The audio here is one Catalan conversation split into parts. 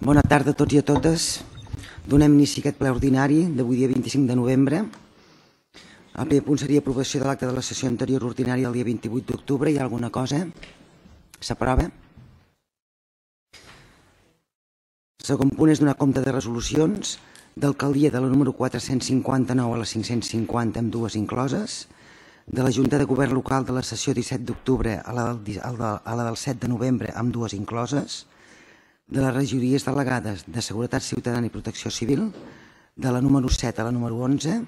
Bona tarda a tots i a totes. Donem inici a aquest ple ordinari d'avui dia 25 de novembre. El primer punt seria aprovació de l'acte de la sessió anterior ordinària del dia 28 d'octubre. Hi ha alguna cosa? S'aprova? El segon punt és donar compte de resolucions d'alcaldia de la número 459 a la 550 amb dues incloses, de la Junta de Govern Local de la sessió 17 d'octubre a la del 7 de novembre amb dues incloses, de les regidories delegades de Seguretat Ciutadana i Protecció Civil, de la número 7 a la número 11,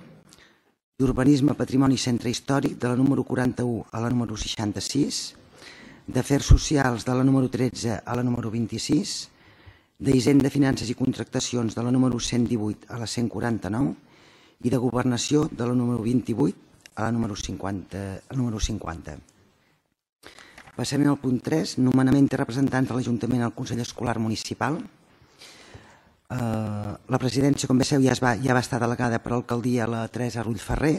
d'Urbanisme, Patrimoni i Centre Històric, de la número 41 a la número 66, d'Afers Socials de la número 13 a la número 26, d'Hisenda, Finances i Contractacions de la número 118 a la 149 i de Governació de la número 28 a la número 50. Passem al punt 3, nomenament de representants de l'Ajuntament al Consell Escolar Municipal. La presidència, com bé sabeu, ja va estar delegada per l'alcaldia la Teresa Rull Ferrer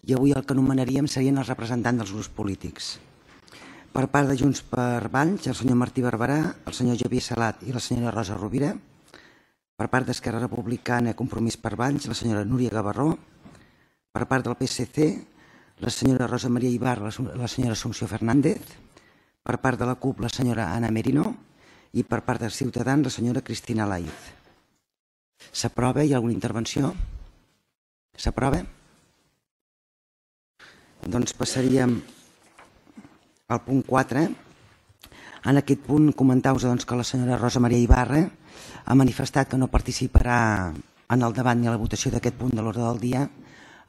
i avui el que nomenaríem serien els representants dels grups polítics. Per part de Junts per Valls, el senyor Martí Barberà, el senyor Javier Salat i la senyora Rosa Rovira. Per part d'Esquerra Republicana, Compromís per Valls, la senyora Núria Gavarró. Per part del PSC, la senyora Rosa Maria Ibarra, la senyora Assumpció Fernández. Per part de la CUP, la senyora Anna Merino, i per part de Ciutadans, la senyora Cristina Laiz. S'aprova? Hi ha alguna intervenció? S'aprova? Doncs passaríem al punt 4. En aquest punt comentar-vos que la senyora Rosa Maria Ibarra ha manifestat que no participarà en el debat ni a la votació d'aquest punt de l'ordre del dia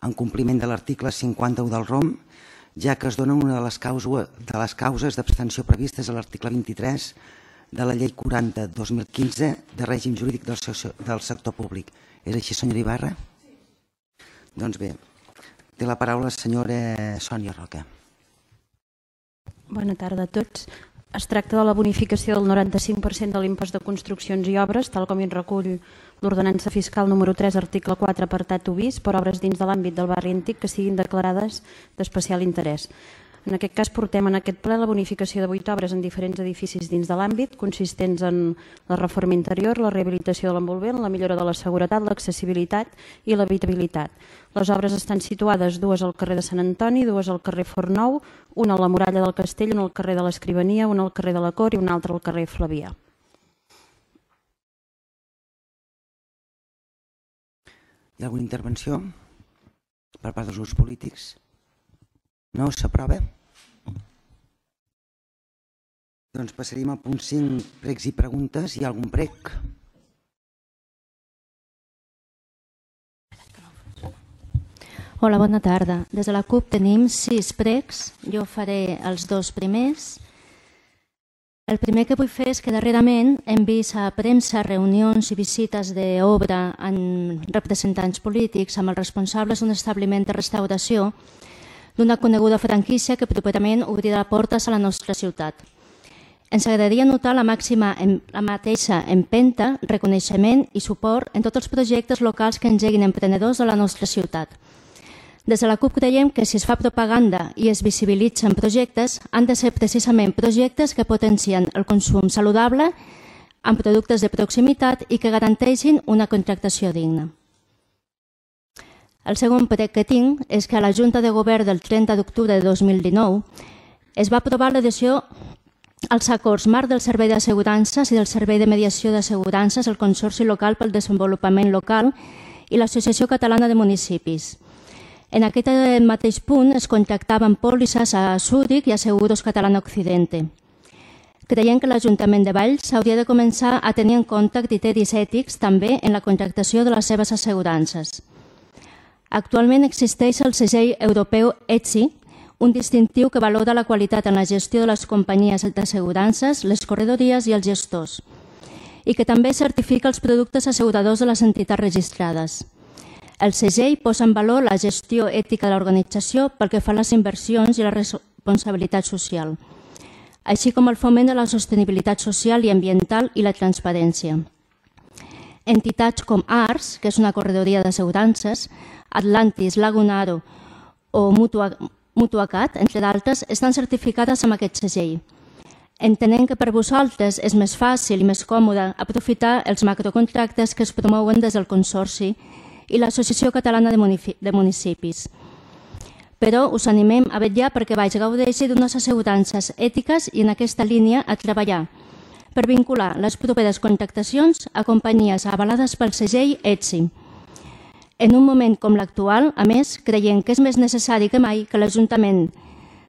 en compliment de l'article 51 del ROM, ja que es dona una de les causes d'abstenció previstes a l'article 23 de la llei 40/2015 de règim jurídic del sector públic. És així, senyora Ibarra? Doncs bé, té la paraula la senyora Sònia Roca. Bona tarda a tots. Es tracta de la bonificació del 95% de l'impost de construccions i obres, tal com hi recull l'ordenança fiscal número 3, article 4, apartat 1 bis, per obres dins de l'àmbit del barri antic que siguin declarades d'especial interès. En aquest cas portem en aquest ple la bonificació de 8 obres en diferents edificis dins de l'àmbit, consistents en la reforma interior, la rehabilitació de l'envolvent, la millora de la seguretat, l'accessibilitat i l'habitabilitat. Les obres estan situades, dues al carrer de Sant Antoni, dues al carrer Fornou, una a la Muralla del Castell, una al carrer de l'Escrivania, una al carrer de la Cor i una altra al carrer Flavià. Hi ha alguna intervenció per part dels grups polítics? No? S'aprova? Doncs passaríem al punt 5, pregs i preguntes. Hi ha algun prec? Hola, bona tarda. Des de la CUP tenim 6 pregs. Jo faré els 2 primers. El primer que vull fer és que darrerament hem vist a premsa reunions i visites d'obra amb representants polítics, amb els responsables d'un establiment de restauració d'una coneguda franquícia que properament obrirà portes a la nostra ciutat. Ens agradaria notar la mateixa empenta, reconeixement i suport en tots els projectes locals que engeguin emprenedors de la nostra ciutat. Des de la CUP creiem que si es fa propaganda i es visibilitzen projectes, han de ser precisament projectes que potencien el consum saludable amb productes de proximitat i que garanteixin una contractació digna. El segon prec que tinc és que a la Junta de Govern del 30 d'octubre de 2019 es va aprovar l'adhesió als acords marc del Servei d'Assegurances i del Servei de Mediació d'Assegurances, el Consorci Local pel Desenvolupament Local i l'Associació Catalana de Municipis. En aquest mateix punt es contractaven pòlisses a Zúrich i a Seguros Catalana Occidente. Creiem que l'Ajuntament de Valls hauria de començar a tenir en compte criteris ètics també en la contractació de les seves assegurances. Actualment existeix el segell europeu ETSI, un distintiu que valora la qualitat en la gestió de les companyies d'assegurances, les corredories i els gestors, i que també certifica els productes asseguradors de les entitats registrades. El segell posa en valor la gestió ètica de l'organització pel que fa a les inversions i la responsabilitat social, així com el foment de la sostenibilitat social i ambiental i la transparència. Entitats com ARS, que és una corredoria d'assegurances, Atlantis, Lagunaro o Mutuacat, entre d'altres, estan certificades amb aquest segell. entenent que per vosaltres és més fàcil i més còmode aprofitar els macrocontractes que es promouen des del Consorci i l'Associació Catalana de Municipis. Però us animem a vetllar perquè Valls gaudeixi d'unes assegurances ètiques i en aquesta línia a treballar per vincular les properes contractacions a companyies avalades pel segell ETSI. En un moment com l'actual, a més, creiem que és més necessari que mai que l'Ajuntament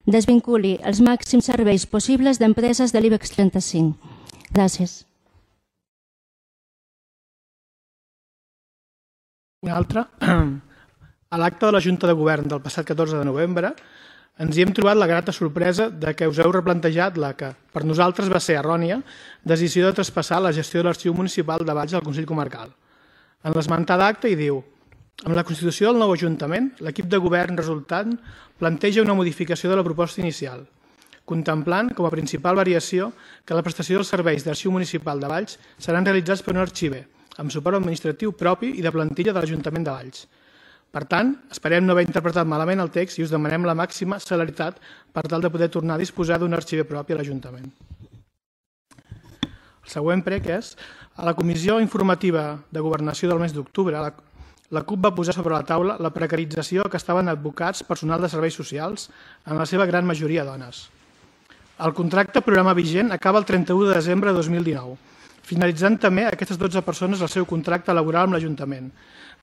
desvinculi els màxims serveis possibles d'empreses de l'IBEX 35. Gràcies. Una altra. A l'acte de la Junta de Govern del passat 14 de novembre ens hi hem trobat la grata sorpresa de que us heu replantejat la que, per nosaltres, va ser errònia decisió de traspassar la gestió de l'Arxiu Municipal de Valls al Consell Comarcal. En l'esmentada acte hi diu: amb la constitució del nou Ajuntament, l'equip de govern resultant planteja una modificació de la proposta inicial, contemplant com a principal variació que la prestació dels serveis d'Arxiu Municipal de Valls seran realitzats per un arxiver, amb suport administratiu propi i de plantilla de l'Ajuntament de Valls. Per tant, esperem no haver interpretat malament el text i us demanem la màxima celeritat per tal de poder tornar a disposar d'un arxiver propi a l'Ajuntament. El següent prec és: a la Comissió Informativa de Governació del mes d'octubre, la CUP va posar sobre la taula la precarització que estaven advocats personal de serveis socials, en la seva gran majoria dones. El contracte programa vigent acaba el 31 de desembre de 2019, finalitzant també aquestes 12 persones el seu contracte laboral amb l'Ajuntament.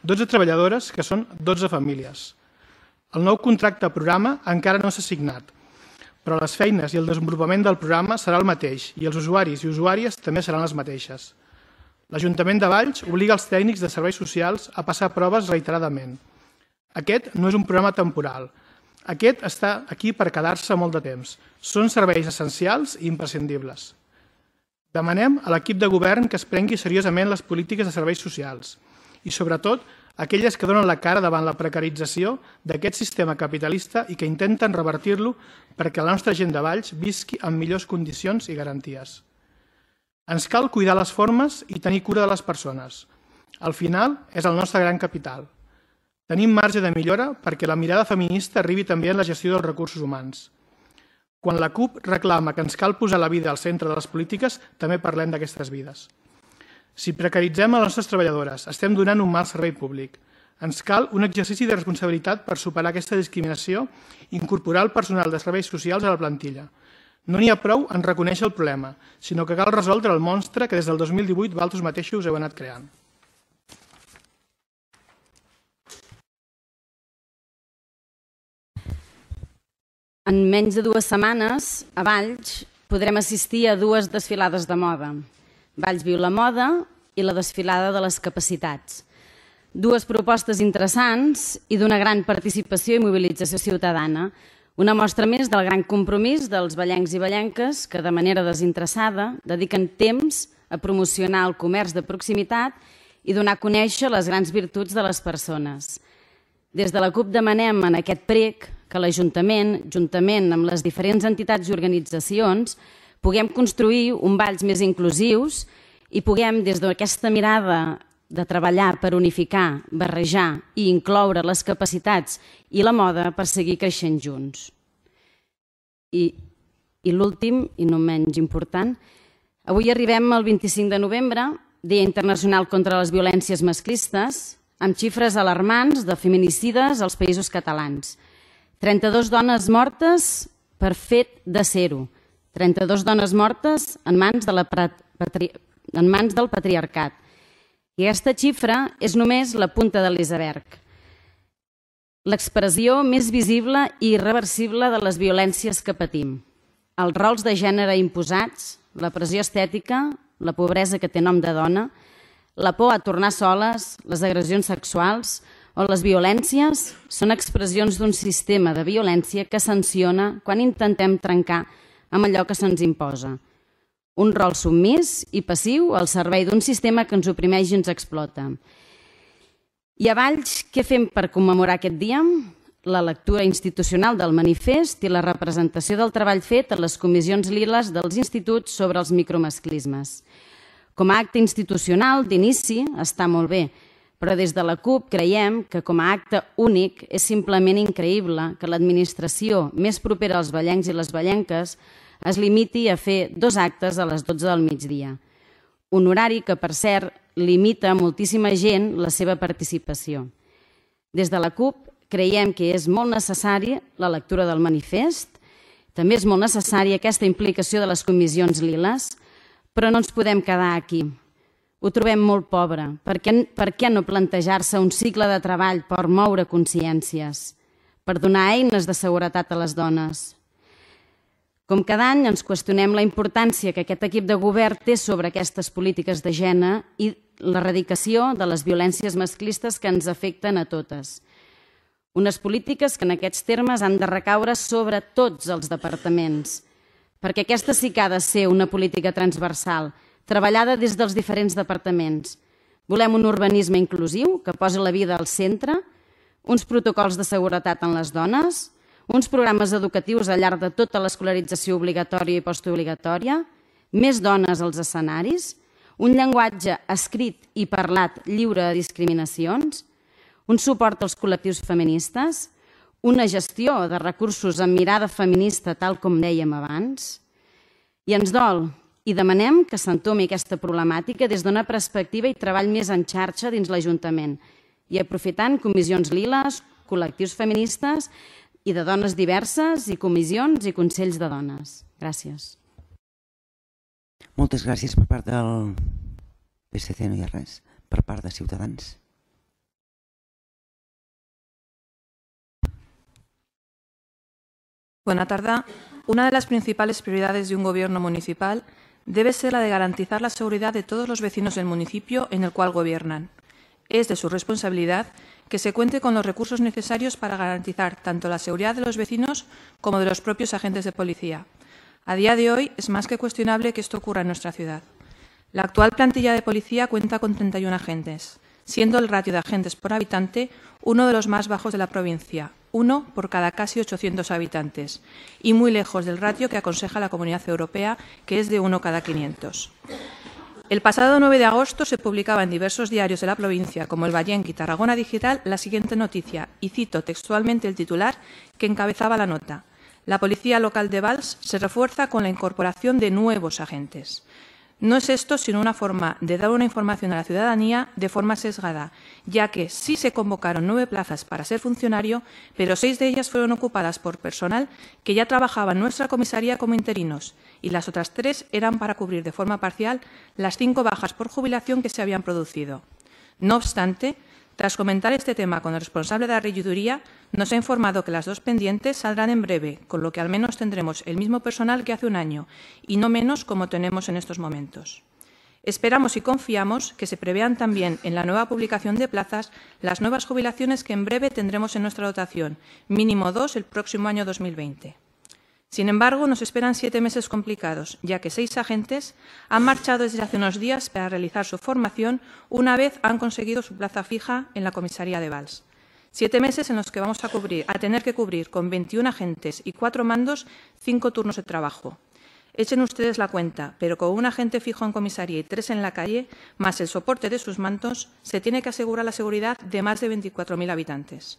12 treballadores que són 12 famílies. El nou contracte programa encara no s'ha signat, però les feines i el desenvolupament del programa serà el mateix i els usuaris i usuàries també seran les mateixes. L'Ajuntament de Valls obliga els tècnics de serveis socials a passar proves reiteradament. Aquest no és un programa temporal. Aquest està aquí per quedar-se molt de temps. Són serveis essencials i imprescindibles. Demanem a l'equip de govern que es prengui seriosament les polítiques de serveis socials i, sobretot, aquelles que donen la cara davant la precarització d'aquest sistema capitalista i que intenten revertir-lo perquè la nostra gent de Valls visqui en millors condicions i garanties. Ens cal cuidar les formes i tenir cura de les persones. Al final, és el nostre gran capital. Tenim marge de millora perquè la mirada feminista arribi també en la gestió dels recursos humans. Quan la CUP reclama que ens cal posar la vida al centre de les polítiques, també parlem d'aquestes vides. Si precaritzem a les nostres treballadores, estem donant un mal servei públic. Ens cal un exercici de responsabilitat per superar aquesta discriminació i incorporar el personal de serveis socials a la plantilla. No n'hi ha prou en reconèixer el problema, sinó que cal resoldre el monstre que des del 2018 vosaltres mateixos heu anat creant. En menys de 2 setmanes, a Valls, podrem assistir a 2 desfilades de moda. Valls viu la moda i la desfilada de les capacitats. 2 propostes interessants i d'una gran participació i mobilització ciutadana. Una mostra més del gran compromís dels vallencs i vallenques que, de manera desinteressada, dediquen temps a promocionar el comerç de proximitat i donar a conèixer les grans virtuts de les persones. Des de la CUP demanem en aquest prec que l'Ajuntament, juntament amb les diferents entitats i organitzacions, puguem construir un Valls més inclusius i puguem, des d'aquesta mirada de treballar per unificar, barrejar i incloure les capacitats i la moda per seguir creixent junts. I l'últim, i no menys important, avui arribem al 25 de novembre, Dia Internacional contra les Violències Masclistes, amb xifres alarmants de feminicides als Països Catalans. 32 dones mortes per fet de ser-ho. 32 dones mortes en mans del patriarcat. I aquesta xifra és només la punta de l'iceberg. L'expressió més visible i irreversible de les violències que patim. Els rols de gènere imposats, la pressió estètica, la pobresa que té nom de dona, la por a tornar soles, les agressions sexuals o les violències són expressions d'un sistema de violència que sanciona quan intentem trencar amb allò que se'ns imposa. Un rol submís i passiu al servei d'un sistema que ens oprimeix i ens explota. I a Valls, què fem per commemorar aquest dia? La lectura institucional del manifest i la representació del treball fet a les comissions liles dels instituts sobre els micromasclismes. Com a acte institucional d'inici està molt bé, però des de la CUP creiem que com a acte únic és simplement increïble que l'administració més propera als vallencs i les vallenques es limiti a fer 2 actes a les 12 del migdia. Un horari que, per cert, limita a moltíssima gent la seva participació. Des de la CUP creiem que és molt necessària la lectura del manifest, també és molt necessària aquesta implicació de les comissions liles, però no ens podem quedar aquí. Ho trobem molt pobre. Per què no plantejar-se un cicle de treball per moure consciències, per donar eines de seguretat a les dones? Com cada any ens qüestionem la importància que aquest equip de govern té sobre aquestes polítiques de gènere i l'erradicació de les violències masclistes que ens afecten a totes. Unes polítiques que en aquests termes han de recaure sobre tots els departaments, perquè aquesta sí que ha de ser una política transversal, treballada des dels diferents departaments. Volem un urbanisme inclusiu que posi la vida al centre, uns protocols de seguretat en les dones, uns programes educatius al llarg de tota l'escolarització obligatòria i postobligatòria, més dones als escenaris, un llenguatge escrit i parlat lliure de discriminacions, un suport als col·lectius feministes, una gestió de recursos amb mirada feminista, tal com dèiem abans. I ens dol i demanem que s'entomi aquesta problemàtica des d'una perspectiva i treball més en xarxa dins l'Ajuntament i aprofitant comissions liles, col·lectius feministes i de dones diverses i comissions i consells de dones. Gràcies. Moltes gràcies per part del PSC, no hi ha res. Per part de Ciutadans. Buena tarde. Una de las principales prioridades de un gobierno municipal debe ser la de garantizar la seguridad de todos los vecinos del municipio en el cual gobiernan. Es de su responsabilidad que se cuente con los recursos necesarios para garantizar tanto la seguridad de los vecinos como de los propios agentes de policía. A día de hoy es más que cuestionable que esto ocurra en nuestra ciudad. La actual plantilla de policía cuenta con 31 agentes, siendo el ratio de agentes por habitante uno de los más bajos de la provincia, 1 por cada casi 800 habitantes, y muy lejos del ratio que aconseja la Comunidad Europea, que es de 1 cada 500. El pasado 9 de agosto se publicaba en diversos diarios de la provincia, como El Vallenc y Tarragona Digital, la siguiente noticia, y cito textualmente el titular que encabezaba la nota. La Policía Local de Valls se refuerza con la incorporación de nuevos agentes. No es esto sino una forma de dar una información a la ciudadanía de forma sesgada, ya que sí se convocaron 9 plazas para ser funcionario, pero 6 de ellas fueron ocupadas por personal que ya trabajaba en nuestra comisaría como interinos, y las otras 3 eran para cubrir de forma parcial las 5 bajas por jubilación que se habían producido. No obstante, tras comentar este tema con el responsable de la regiduría, nos ha informado que las 2 pendientes saldrán en breve, con lo que al menos tendremos el mismo personal que hace un año, y no menos como tenemos en estos momentos. Esperamos y confiamos que se prevean también en la nueva publicación de plazas las nuevas jubilaciones que en breve tendremos en nuestra dotación, mínimo 2 el próximo año 2020. Sin embargo, nos esperan 7 meses complicados, ya que 6 agentes han marchado desde hace unos días para realizar su formación una vez han conseguido su plaza fija en la comisaría de Valls. 7 meses en los que vamos a tener que cubrir con 21 agentes y 4 mandos 5 turnos de trabajo. Echen ustedes la cuenta, pero con un agente fijo en comisaría y 3 en la calle, más el soporte de sus mandos, se tiene que asegurar la seguridad de más de 24.000 habitantes.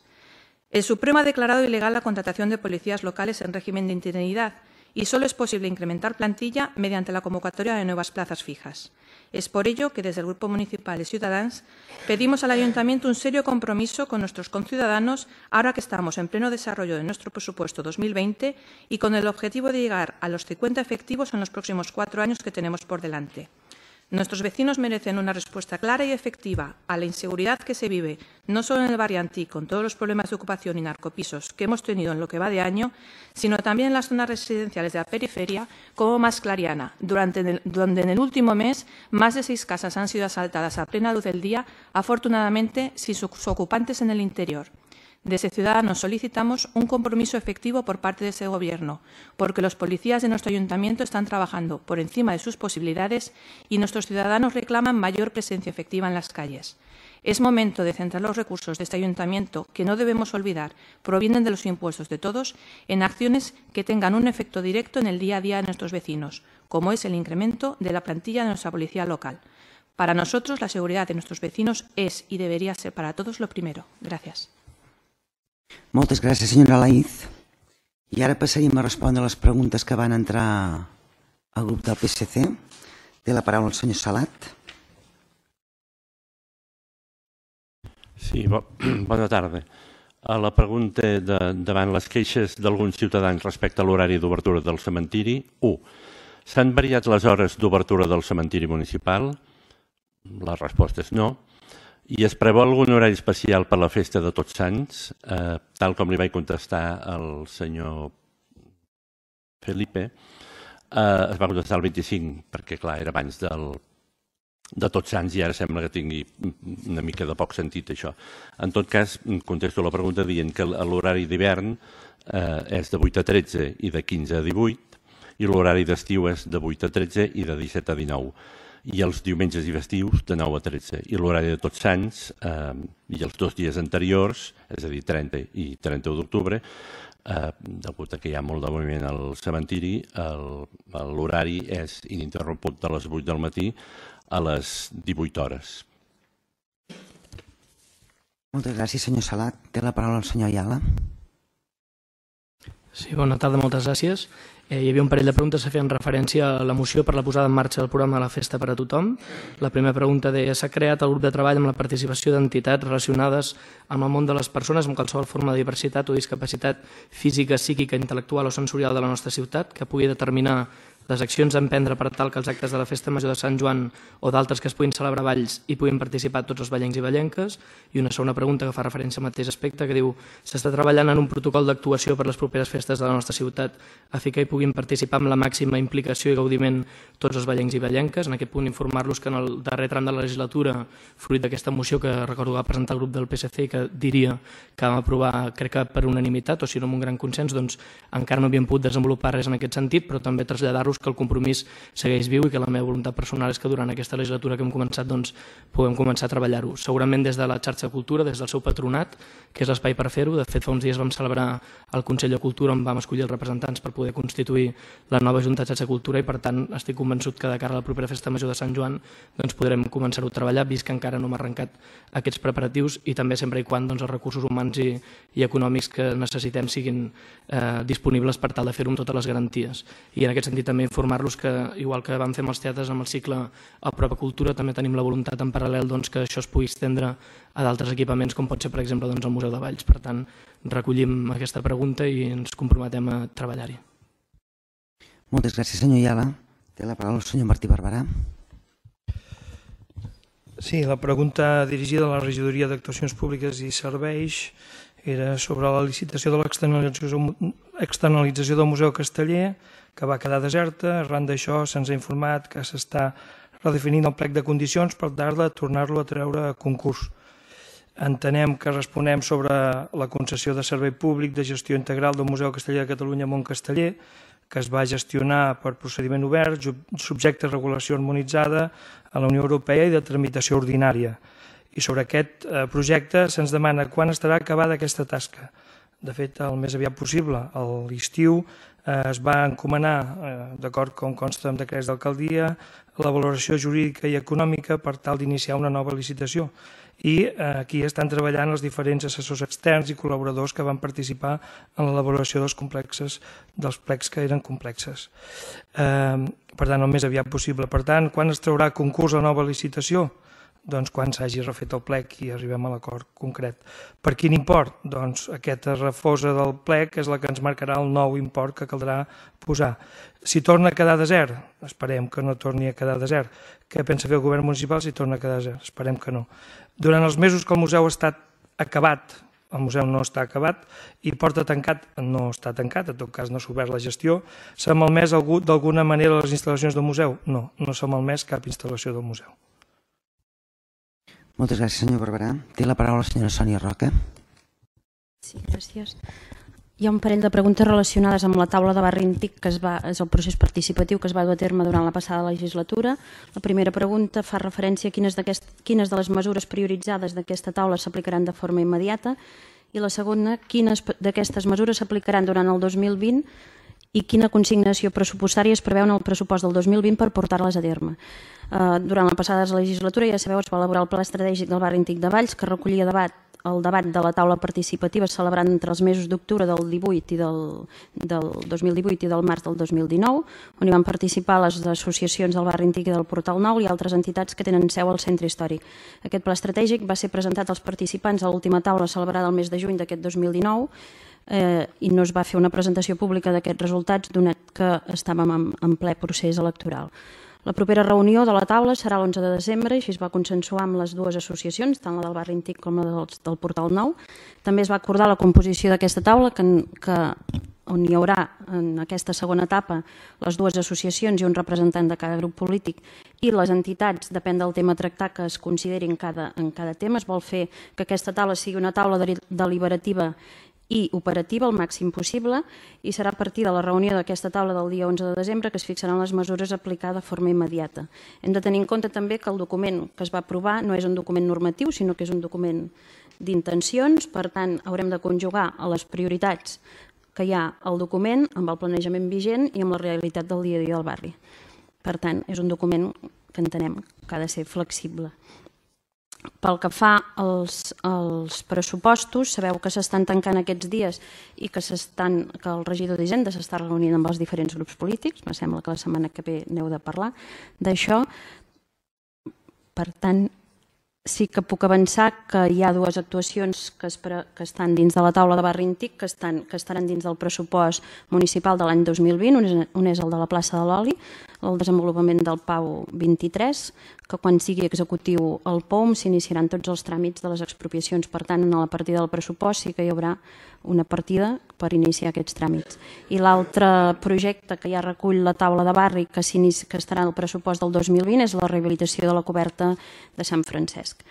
El Supremo ha declarado ilegal la contratación de policías locales en régimen de interinidad y solo es posible incrementar plantilla mediante la convocatoria de nuevas plazas fijas. Es por ello que desde el Grupo Municipal de Ciudadanos pedimos al Ayuntamiento un serio compromiso con nuestros conciudadanos ahora que estamos en pleno desarrollo de nuestro presupuesto 2020 y con el objetivo de llegar a los 50 efectivos en los próximos 4 años que tenemos por delante. Nuestros vecinos merecen una respuesta clara y efectiva a la inseguridad que se vive, no solo en el barrio Antí, con todos los problemas de ocupación y narcopisos que hemos tenido en lo que va de año, sino también en las zonas residenciales de la periferia, como Mas Clariana, donde en el último mes más de 6 casas han sido asaltadas a plena luz del día, afortunadamente sin sus ocupantes en el interior. Desde Ciudadanos solicitamos un compromiso efectivo por parte de este Gobierno, porque los policías de nuestro Ayuntamiento están trabajando por encima de sus posibilidades y nuestros ciudadanos reclaman mayor presencia efectiva en las calles. Es momento de centrar los recursos de este Ayuntamiento, que no debemos olvidar, provienen de los impuestos de todos, en acciones que tengan un efecto directo en el día a día de nuestros vecinos, como es el incremento de la plantilla de nuestra policía local. Para nosotros, la seguridad de nuestros vecinos es y debería ser para todos lo primero. Gracias. Moltes gràcies, senyora Laïz. I ara passaríem a respondre les preguntes que van entrar al grup del PSC. Té la paraula el senyor Salat. Sí, bona tarda. A la pregunta davant les queixes d'alguns ciutadans respecte a l'horari d'obertura del cementiri, 1. S'han variat les hores d'obertura del cementiri municipal? La resposta és no. I es preveu algun horari especial per la festa de Tots Sants, tal com li vaig contestar al senyor Felipe. Es va contestar el 25, perquè clar, era abans de Tots Sants i ara sembla que tingui una mica de poc sentit això. En tot cas, contesto la pregunta dient que l'horari d'hivern és de 8 a 13 i de 15 a 18 i l'horari d'estiu és de 8 a 13 i de 17 a 19. I els diumenges i festius de 9 a 13. I l'horari de Tots Sants i els 2 dies anteriors, és a dir, 30 i 31 d'octubre, degut a que hi ha molt de moviment al cementiri, l'horari és ininterromput de les 8 del matí a les 18 hores. Moltes gràcies, senyor Salat. Té la paraula el senyor Ayala. Sí, bona tarda, moltes gràcies. Hi havia un parell de preguntes que feien referència a la moció per la posada en marxa del programa de la Festa per a Tothom. La primera pregunta deia: s'ha creat el grup de treball amb la participació d'entitats relacionades amb el món de les persones amb qualsevol forma de diversitat o discapacitat física, psíquica, intel·lectual o sensorial de la nostra ciutat, que pugui determinar les accions a emprendre per tal que els actes de la Festa Major de Sant Joan o d'altres que es puguin celebrar a Valls hi puguin participar tots els vallencs i vallenques. I una segona pregunta que fa referència al mateix aspecte, que diu: s'està treballant en un protocol d'actuació per les properes festes de la nostra ciutat a fi que hi puguin participar amb la màxima implicació i gaudiment tots els vallencs i vallenques. En aquest punt informar-los que en el darrer tram de la legislatura, fruit d'aquesta moció que recordo va presentar el grup del PSC i que diria que vam aprovar, crec que per unanimitat o si no amb un gran consens, doncs encara no havíem pogut desenvolupar res en aquest sentit, però també traslladar-los que el compromís segueix viu i que la meva voluntat personal és que durant aquesta legislatura que hem començat doncs, puguem començar a treballar-ho. Segurament des de la xarxa de cultura, des del seu patronat, que és l'espai per fer-ho. De fet, fa uns dies vam celebrar el Consell de Cultura on vam escollir els representants per poder constituir la nova Junta de Xarxa de Cultura i per tant estic convençut que de cara a la propera Festa Major de Sant Joan doncs, podrem començar-ho a treballar, vist que encara no hem arrencat aquests preparatius i també sempre i quan doncs, els recursos humans i econòmics que necessitem siguin disponibles per tal de fer-ho amb totes les garanties. I en aquest sentit també informar-los que, igual que vam fer amb els teatres amb el cicle a Prova Cultura, també tenim la voluntat en paral·lel doncs, que això es pugui estendre a d'altres equipaments, com pot ser, per exemple, doncs, el Museu de Valls. Per tant, recollim aquesta pregunta i ens comprometem a treballar-hi. Moltes gràcies, senyor Ayala. Té la paraula el senyor Martí Barberà. Sí, la pregunta dirigida a la Regidoria d'Actuacions Públiques i Serveis era sobre la licitació de l'externalització del Museu Casteller, que va quedar deserta. Arran d'això se'ns ha informat que s'està redefinint el plec de condicions per tal de tornar-lo a treure a concurs. Entenem que responem sobre la concessió de servei públic de gestió integral del Museu Casteller de Catalunya Montcasteller, que es va gestionar per procediment obert, subjecte a regulació harmonitzada a la Unió Europea i de tramitació ordinària. I sobre aquest projecte se'ns demana quan estarà acabada aquesta tasca. De fet, el més aviat possible. A l'estiu es va encomanar, d'acord com consta en decrets d'alcaldia, la valoració jurídica i econòmica per tal d'iniciar una nova licitació. I aquí estan treballant els diferents assessors externs i col·laboradors que van participar en l'elaboració dels plecs que eren complexes. Per tant, el més aviat possible. Per tant, quan es traurà a concurs la nova licitació? Doncs quan s'hagi refet el plec i arribem a l'acord concret. Per quin import? Doncs aquesta refosa del plec és la que ens marcarà el nou import que caldrà posar. Si torna a quedar desert, esperem que no torni a quedar desert. Què pensa fer el govern municipal si torna a quedar desert? Esperem que no. Durant els mesos que el museu ha estat acabat, el museu no està acabat, i porta tancat, no està tancat, en tot cas no s'ha obert la gestió, s'ha malmès d'alguna manera les instal·lacions del museu? No, no s'ha malmès cap instal·lació del museu. Moltes gràcies, senyor Barberà. Té la paraula la senyora Sònia Roca. Sí, gràcies. Hi ha un parell de preguntes relacionades amb la taula de barri antic, que és el procés participatiu que es va dur a terme durant la passada legislatura. La primera pregunta fa referència a quines de les mesures prioritzades d'aquesta taula s'aplicaran de forma immediata i la segona, quines d'aquestes mesures s'aplicaran durant el 2020 i quina consignació pressupostària es preveu en el pressupost del 2020 per portar-les a terme. Durant la passada legislatura, ja sabeu, es va elaborar el Pla Estratègic del Barri Antic de Valls, que recollia debat el debat de la taula participativa celebrat entre els mesos d'octubre del 2018 i del març del 2019, on hi van participar les associacions del Barri Antic i del Portal Nou i altres entitats que tenen seu al centre històric. Aquest pla estratègic va ser presentat als participants a l'última taula celebrada el mes de juny d'aquest 2019 i no es va fer una presentació pública d'aquests resultats, donat que estàvem en ple procés electoral. La propera reunió de la taula serà l'11 de desembre, i així es va consensuar amb les dues associacions, tant la del Barri Antic com la del Portal Nou. També es va acordar la composició d'aquesta taula, on hi haurà en aquesta segona etapa les dues associacions i un representant de cada grup polític i les entitats, depèn del tema a tractar, que es consideri en cada tema. Es vol fer que aquesta taula sigui una taula deliberativa i operativa el màxim possible, i serà a partir de la reunió d'aquesta taula del dia 11 de desembre que es fixaran les mesures a aplicar de forma immediata. Hem de tenir en compte també que el document que es va aprovar no és un document normatiu, sinó que és un document d'intencions, per tant haurem de conjugar a les prioritats que hi ha al document amb el planejament vigent i amb la realitat del dia a dia del barri. Per tant, és un document que entenem que ha de ser flexible. Pel que fa als pressupostos, sabeu que s'estan tancant aquests dies i que el regidor d'Hisenda s'està reunint amb els diferents grups polítics. Me sembla que la setmana que ve n'heu de parlar d'això. Per tant, sí que puc avançar que hi ha dues actuacions que estan dins de la taula de Barri Antic que estaran dins del pressupost municipal de l'any 2020. Un és el de la plaça de l'Oli, el desenvolupament del PAU 23, que quan sigui executiu el POUM s'iniciaran tots els tràmits de les expropiacions. Per tant, en la partida del pressupost sí que hi haurà una partida per iniciar aquests tràmits. I l'altre projecte que ja recull la taula de barri que estarà al pressupost del 2020 és la rehabilitació de la coberta de Sant Francesc,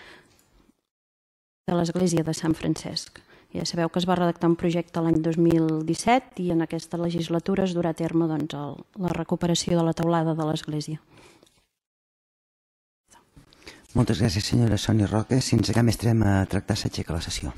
de l'església de Sant Francesc. Ja sabeu que es va redactar un projecte l'any 2017 i en aquesta legislatura es durà a terme la recuperació de la teulada de l'església. Moltes gràcies, senyora Sònia Roca. Sense cap més trem a tractar, s'aixeca la sessió.